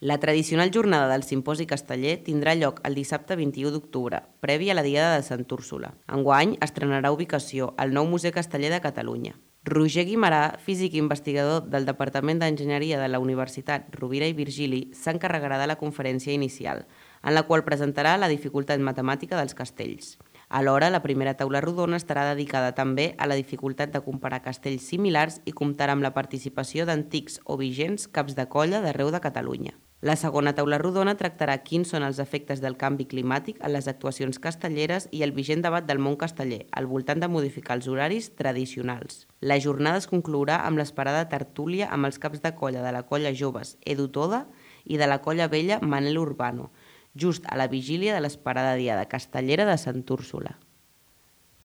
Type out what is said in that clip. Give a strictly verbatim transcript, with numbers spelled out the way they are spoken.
La tradicional jornada del Simposi Casteller tindrà lloc el dissabte vint-i-u d'octubre, previ a la Diada de Sant Úrsula. Enguany estrenarà ubicació al nou Museu Casteller de Catalunya. Roger Guimarà, físic i investigador del Departament d'Enginyeria de la Universitat Rovira i Virgili, s'encarregarà de la conferència inicial, en la qual presentarà la dificultat matemàtica dels castells. Alhora, la primera taula rodona estarà dedicada també a la dificultat de comparar castells similars i comptarà amb la participació d'antics o vigents caps de colla d'arreu de Catalunya. La segona taula rodona tractarà quins són els efectes del canvi climàtic en les actuacions castelleres i el vigent debat del món casteller, al voltant de modificar els horaris tradicionals. La jornada es conclourà amb l'esperada tertúlia amb els caps de colla de la colla joves Edu Toda i de la colla vella Manel Urbano, just a la vigília de l'esperada Diada Castellera de Sant Úrsula.